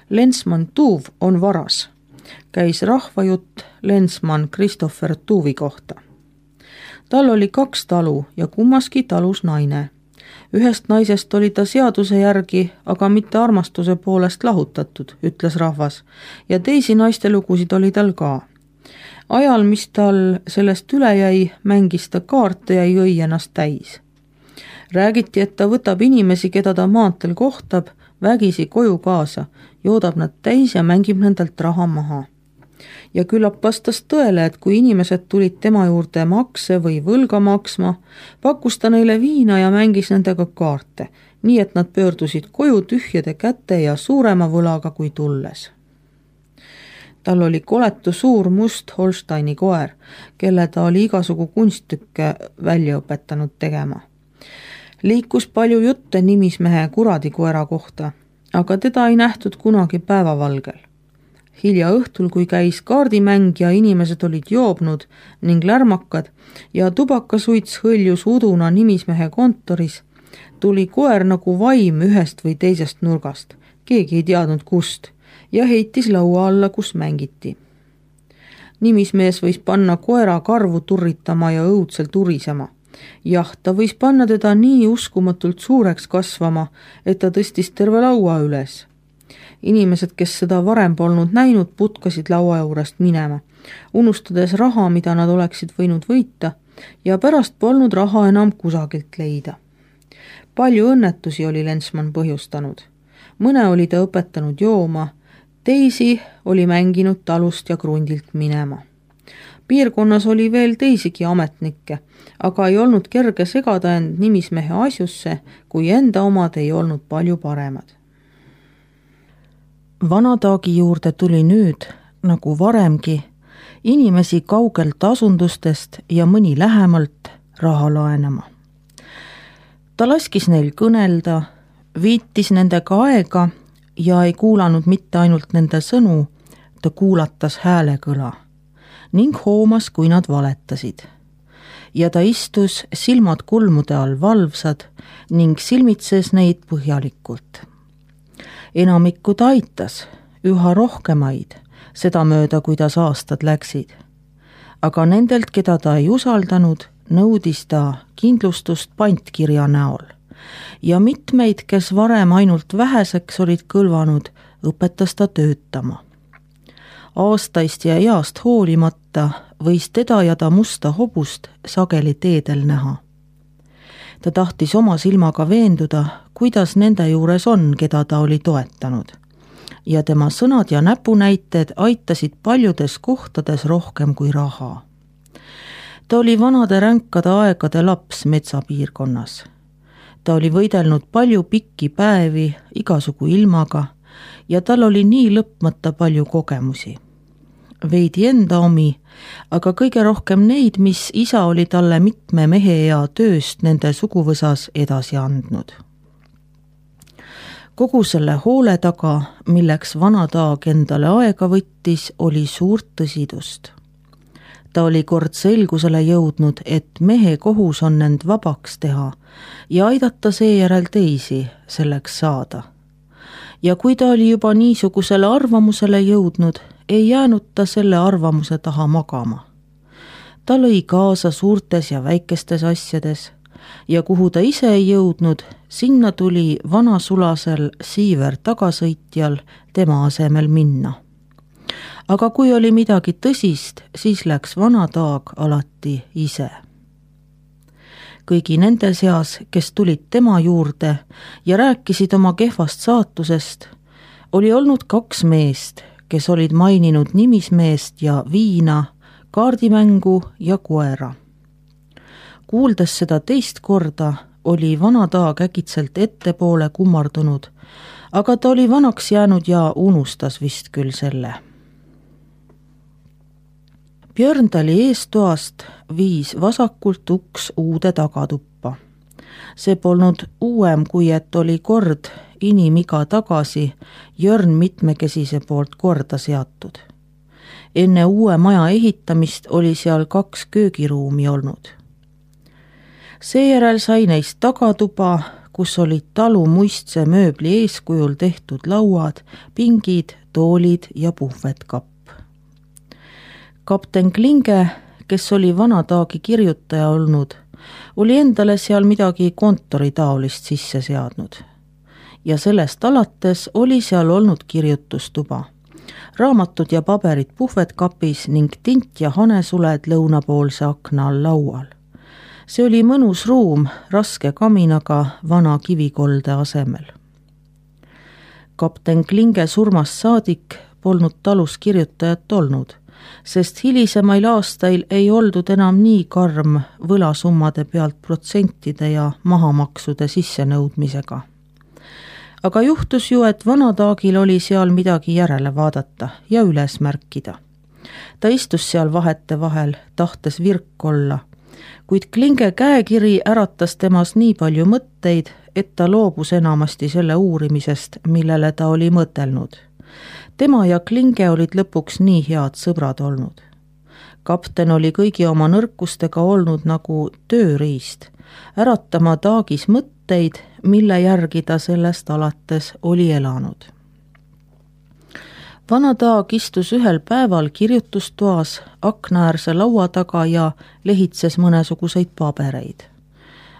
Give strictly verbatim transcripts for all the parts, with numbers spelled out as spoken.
Lensman Tuuv on varas, käis rahvajutt Lensman Christopher Tuuvi kohta. Tal oli kaks talu ja kummaski talus naine. Ühest naisest oli ta seaduse järgi, aga mitte armastuse poolest lahutatud, ütles rahvas, ja teisi naiste lugusid oli tal ka. Ajal, mis tal sellest üle jäi, mängis ta kaarte ja jõi ennast täis. Räägiti, et ta võtab inimesi, keda ta maantel kohtab, vägisi koju kaasa, joodab nad täis ja mängib nendelt raha maha. Ja küllap vastas tõele, et kui inimesed tulid tema juurde makse või võlga maksma, pakkus ta neile viina ja mängis nendega kaarte, nii et nad pöördusid koju tühjade käte ja suurema võlaga kui tulles. Tal oli koletu suur must Holsteini koer, kelle ta oli igasugu kunstükke välja õpetanud tegema. Liikus palju jutte nimismehe kuradikoera kohta, aga teda ei nähtud kunagi päevavalgel. Hilja õhtul, kui käis kaardimäng ja inimesed olid joobnud ning lärmakad ja tubakasuits hõljus uduna nimismehe kontoris, tuli koer nagu vaim ühest või teisest nurgast, keegi ei teadnud kust, ja heitis laua alla, kus mängiti. Nimismees võis panna koera karvu turritama ja õudselt urisema. Jah, ta võis panna teda nii uskumatult suureks kasvama, et ta tõstis terve laua üles. Inimesed, kes seda varem polnud näinud, putkasid laua juurest minema, unustades raha, mida nad oleksid võinud võita, ja pärast polnud raha enam kusagilt leida. Palju õnnetusi oli Lensman põhjustanud. Mõne oli ta õpetanud jooma, teisi oli mänginud talust ja krundilt minema. Piirkonnas oli veel teisigi ametnikke, aga ei olnud kerge segada end nimismehe asjusse, kui enda omad ei olnud palju paremad. Vanataagi juurde tuli nüüd, nagu varemgi, inimesi kaugelt asundustest ja mõni lähemalt raha laenama. Ta laskis neil kõnelda, viitis nendega aega ja ei kuulanud mitte ainult nende sõnu, ta kuulatas häälekõla ning hoomas, kui nad valetasid. Ja ta istus silmad kulmude all valvsad ning silmitses neid põhjalikult. Enamikku ta aitas, üha rohkemaid, seda mööda, kuidas aastad läksid. Aga nendelt, keda ta ei usaldanud, nõudis ta kindlustust pantkirja näol. Ja mitmeid, kes varem ainult väheseks olid kõlvanud, õpetas ta töötama. Aastaist ja east hoolimata võis teda ja ta musta hobust sageli teedel näha. Ta tahtis oma silmaga veenduda, kuidas nende juures on, keda ta oli toetanud. Ja tema sõnad ja näpunäited aitasid paljudes kohtades rohkem kui raha. Ta oli vanade ränkade aegade laps metsapiirkonnas. Ta oli võidelnud palju pikki päevi igasugu ilmaga ja tal oli nii lõpmata palju kogemusi. Veidi enda omi, aga kõige rohkem neid, mis isa oli talle mitme mehe ja tööst nende suguvõsas edasi andnud. Kogu selle hoole taga, milleks Vanataag endale aega võttis, oli suurt tõsidust. Ta oli kord selgusele jõudnud, et mehe kohus on end vabaks teha ja aidata seejärel teisi selleks saada. Ja kui ta oli juba niisugusele arvamusele jõudnud, ei jäänud ta selle arvamuse taha magama. Ta lõi kaasa suurtes ja väikestes asjades ja kuhu ta ise ei jõudnud, sinna tuli vanasulasel Siiver tagasõitjal tema asemel minna. Aga kui oli midagi tõsist, siis läks Vanataag alati ise. Kõigi nende seas, kes tulid tema juurde ja rääkisid oma kehvast saatusest, oli olnud kaks meest, kes olid maininud nimismeest ja viina, kaardimängu ja koera. Kuuldes seda teist korda, oli Vanataag äkitselt ettepoole kummardunud, aga ta oli vanaks jäänud ja unustas vist küll selle. Björndali eestoast viis vasakult uks uude tagatuppa. See polnud uuem, kui et oli kord inimiga tagasi Jörn mitmekesise poolt korda seatud. Enne uue maja ehitamist oli seal kaks köögiruumi olnud. Seejärel sai neist tagatuba, kus olid talu muistse mööbli eeskujul tehtud lauad, pingid, toolid ja puhvetkapp. kapten Klinge, kes oli Vanataagi kirjutaja olnud, oli endale seal midagi kontoritaolist sisse seadnud. Ja sellest alates oli seal olnud kirjutustuba. Raamatud ja paberid puhvetkapis ning tint ja hanesuled lõunapoolse akna all laual. See oli mõnus ruum raske kaminaga vana kivikolde asemel. kapten Klinge surmast saadik polnud talus kirjutajat olnud, sest hilisemail aastail ei oldud enam nii karm võlasummade pealt protsentide ja mahamaksude sissenõudmisega. Aga juhtus ju, et Vanataagil oli seal midagi järele vaadata ja üles märkida. Ta istus seal vahete vahel, tahtes virk olla, kuid Klinge käekiri äratas temas nii palju mõtteid, et ta loobus enamasti selle uurimisest, millele ta oli mõtelnud. Tema ja Klinge olid lõpuks nii head sõbrad olnud. Kapten oli kõigi oma nõrkustega olnud nagu tööriist, äratama Taagis mõtteid, mille järgi ta sellest alates oli elanud. Vanataag istus ühel päeval kirjutustoas aknaäärse laua taga ja lehitses mõnesuguseid pabereid.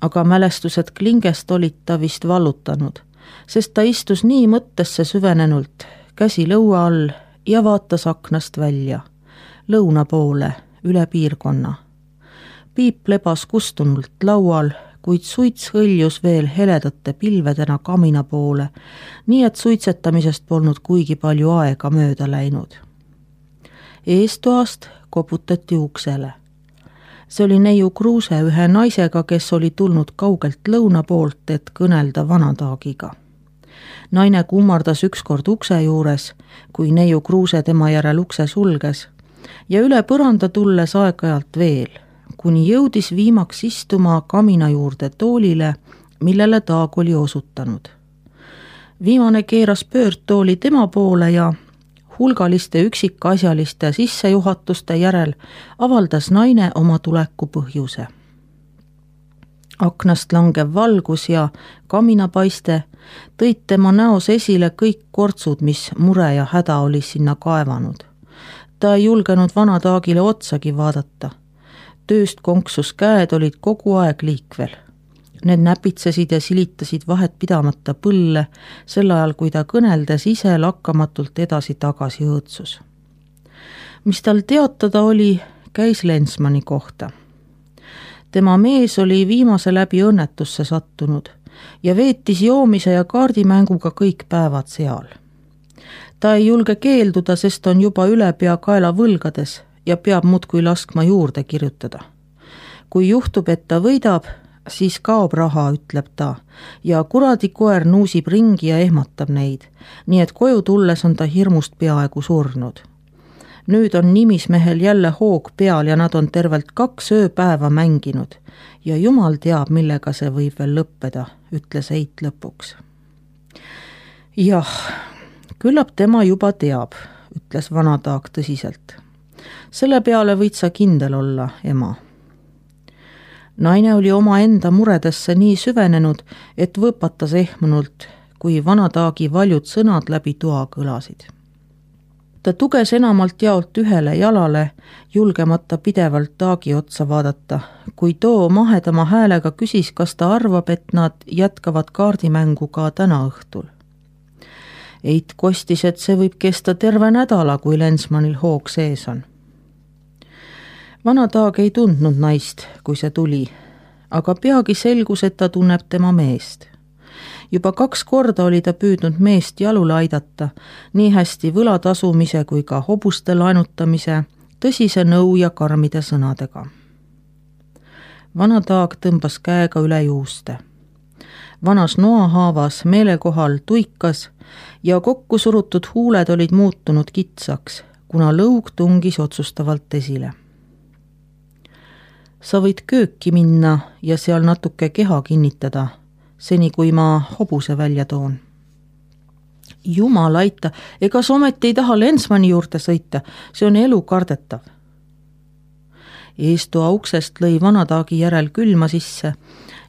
Aga mälestused Klingest olid ta vist vallutanud, sest ta istus nii mõttesse süvenenult, käsi lõua all ja vaatas aknast välja, lõuna poole, üle piirkonna. Piip lebas kustunult laual, kuid suits hõljus veel heledate pilvedena kamina poole, nii et suitsetamisest polnud kuigi palju aega mööda läinud. Eestoast koputati uksele. See oli neiu Kruuse ühe naisega, kes oli tulnud kaugelt lõuna poolt, et kõnelda Vanataagiga. Naine kummardas ükskord ukse juures, kui neiu Kruuse tema järel ukse sulges, ja üle põranda tulles aeg-ajalt veel, kuni jõudis viimaks istuma kamina juurde toolile, millele Taag oli osutanud. Viimane keeras pöördtooli tema poole ja hulgaliste üksikasjaliste sissejuhatuste järel avaldas naine oma tuleku põhjuse. Aknast langev valgus ja kaminapaiste tõid tema näos esile kõik kortsud, mis mure ja häda oli sinna kaevanud. Ta ei julgenud Vanataagile otsagi vaadata. Tööst konksus käed olid kogu aeg liikvel. Need näpitsesid ja silitasid vahet pidamata põlle, sel ajal kui ta kõneldes ise lakkamatult edasi-tagasi õõtsus. Mis tal teatada oli, käis Lensmani kohta. Tema mees oli viimase läbi õnnetusse sattunud ja veetis joomise ja kaardimänguga kõik päevad seal. Ta ei julge keelduda, sest on juba üle pea kaela võlgades ja peab muudkui laskma juurde kirjutada. Kui juhtub, et ta võidab, siis kaob raha, ütleb ta, ja kuradi koer nuusib ringi ja ehmatab neid, nii et koju tulles on ta hirmust peaaegu surnud. Nüüd on nimismehel jälle hoog peal ja nad on tervelt kaks ööpäeva mänginud ja jumal teab, millega see võib veel lõppeda, ütles Eit lõpuks. Jah, küllap tema juba teab, ütles Vanataag tõsiselt. Selle peale võid sa kindel olla, ema. Naine oli oma enda muredesse nii süvenenud, et võpatas ehmunult, kui Vanataagi valjud sõnad läbi toa kõlasid. Ta tuges enamalt jaolt ühele jalale, julgemata pidevalt Taagi otsa vaadata, kui too mahedama häälega küsis, kas ta arvab, et nad jätkavad kaardimängu ka täna õhtul. Eit kostis, et see võib kesta terve nädala, kui Lensmanil hoog sees on. Vanataag ei tundnud naist, kui see tuli, aga peagi selgus, et ta tunneb tema meest. Juba kaks korda oli ta püüdnud meest jalule aidata, nii hästi võla tasumise kui ka hobuste laenutamise, tõsise nõu ja karmide sõnadega. Vanataag tõmbas käega üle juuste. Vanas noahaavas meelekohal tuikas ja kokku surutud huuled olid muutunud kitsaks, kuna lõug tungis otsustavalt esile. Sa võid kööki minna ja seal natuke keha kinnitada, seni kui ma hobuse välja toon. Jumal aita, ega sa ometi ei taha Lensmani juurde sõita, see on elu kardetav. Eestoa uksest lõi Vanataagi järel külma sisse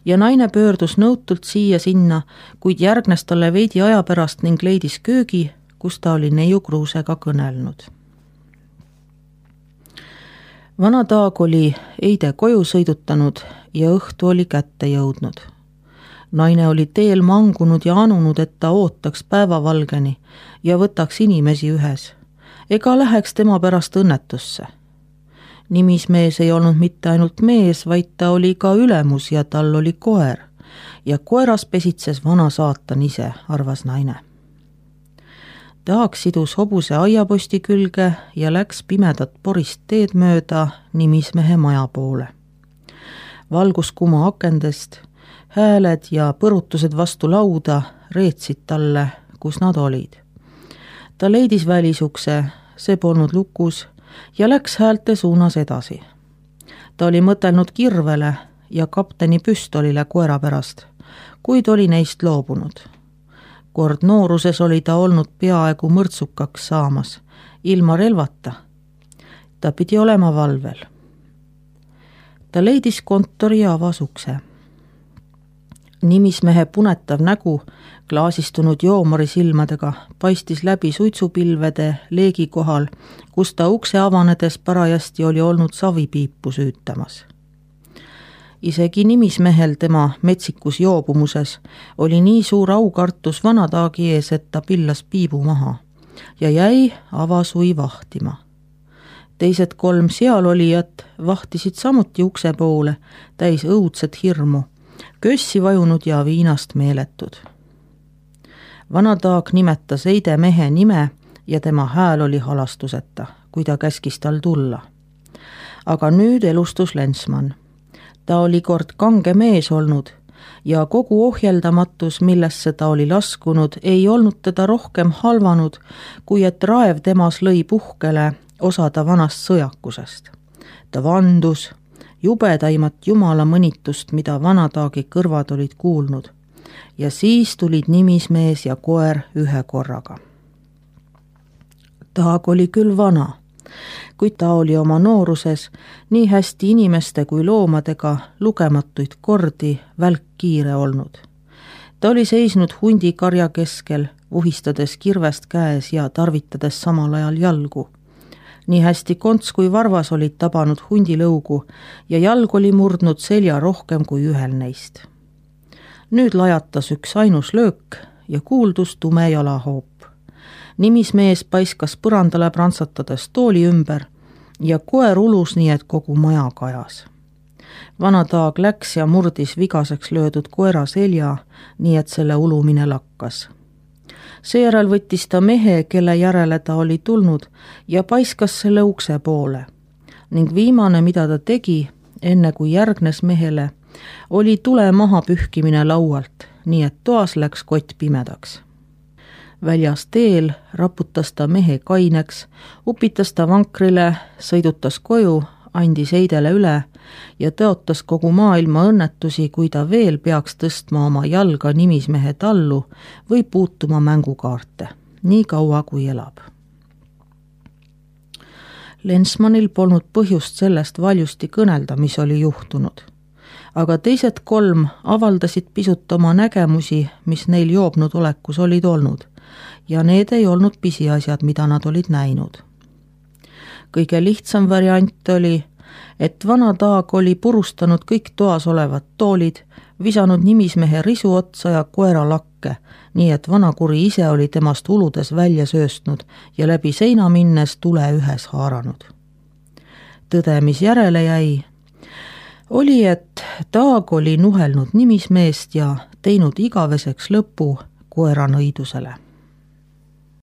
ja naine pöördus nõutult siia-sinna, kuid järgnes talle veidi aja pärast ning leidis köögi, kus ta oli neiu Kruusega kõnelnud. Vana Taag oli eide koju sõidutanud ja õhtu oli kätte jõudnud. Naine oli teel mangunud ja anunud, et ta ootaks päevavalgeni ja võtaks inimesi ühes, ega läheks tema pärast õnnetusse. Nimismees ei olnud mitte ainult mees, vaid ta oli ka ülemus ja tal oli koer ja koeras pesitses vana saatan ise, arvas naine. Taag sidus hobuse aiaposti külge ja läks pimedat porist teed mööda nimismehe maja poole. Valgus kuma akendest, hääled ja põrutused vastu lauda reetsid talle, kus nad olid. Ta leidis välisukse, see polnud lukus ja läks häälte suunas edasi. Ta oli mõtelnud kirvele ja kapteni püstolile koera pärast, kuid oli neist loobunud. Kord nooruses oli ta olnud peaaegu mõrtsukaks saamas, ilma relvata. Ta pidi olema valvel. Ta leidis kontori ja avas ukse. Nimismehe punetav nägu, klaasistunud joomari silmadega, paistis läbi suitsupilvede leegi kohal, kus ta ukse avanedes parajasti oli olnud savipiipu süütamas. Isegi nimismehel tema metsikus joobumuses oli nii suur aukartus Vana Taagi ees, et ta pillas piibu maha ja jäi avasui vahtima. Teised kolm sealolijat vahtisid samuti ukse poole, täis õudset hirmu, kössi vajunud ja viinast meeletud. Vana Taag nimetas eide mehe nime ja tema hääl oli halastuseta, kui ta käskis tal tulla. Aga nüüd elustus Lensmann. Ta oli kord kange mees olnud ja kogu ohjeldamatus, millesse ta oli laskunud, ei olnud teda rohkem halvanud, kui et raev temas lõi puhkele osada vanast sõjakusest. Ta vandus jubedaimat jumala mõnitust, mida Vana Taagi kõrvad olid kuulnud, ja siis tulid nimismees ja koer ühe korraga. Taag oli küll vana, kuid ta oli oma nooruses nii hästi inimeste kui loomadega lugematuid kordi välkkiire olnud. Ta oli seisnud hundikarja keskel, vuhistades kirvest käes ja tarvitades samal ajal jalgu. Nii hästi konts kui varvas olid tabanud hundilõugu ja jalg oli murdnud selja rohkem kui ühel neist. Nüüd lajatas üks ainus löök ja kuuldus tume jalahoop. Nimismees paiskas põrandale prantsatades tooli ümber ja koer ulus nii, et kogu maja kajas. Vana Taag läks ja murdis vigaseks löödud koera selja, nii et selle ulumine lakkas. Seejärel võttis ta mehe, kelle järele ta oli tulnud, ja paiskas selle ukse poole. Ning viimane, mida ta tegi, enne kui järgnes mehele, oli tule maha pühkimine laualt, nii et toas läks kott pimedaks. Väljas teel raputas ta mehe kaineks, upitas ta vankrile, sõidutas koju, andis eidele üle ja tõotas kogu maailma õnnetusi, kui ta veel peaks tõstma oma jalga nimismehe tallu või puutuma mängukaarte, nii kaua kui elab. Lensmannil polnud põhjust sellest valjusti kõnelda, mis oli juhtunud, aga teised kolm avaldasid pisut oma nägemusi, mis neil joobnud olekus olid olnud, ja need ei olnud pisiasjad, mida nad olid näinud. Kõige lihtsam variant oli, et Vana Taag oli purustanud kõik toas olevad toolid, visanud nimismehe risu otsa ja koera lakke, nii et vanakuri ise oli temast uludes välja sööstnud ja läbi seina minnes tule ühes haaranud. Tõde, mis järele jäi, oli, et Taag oli nuhelnud nimismeest ja teinud igaveseks lõpu koera nõidusele.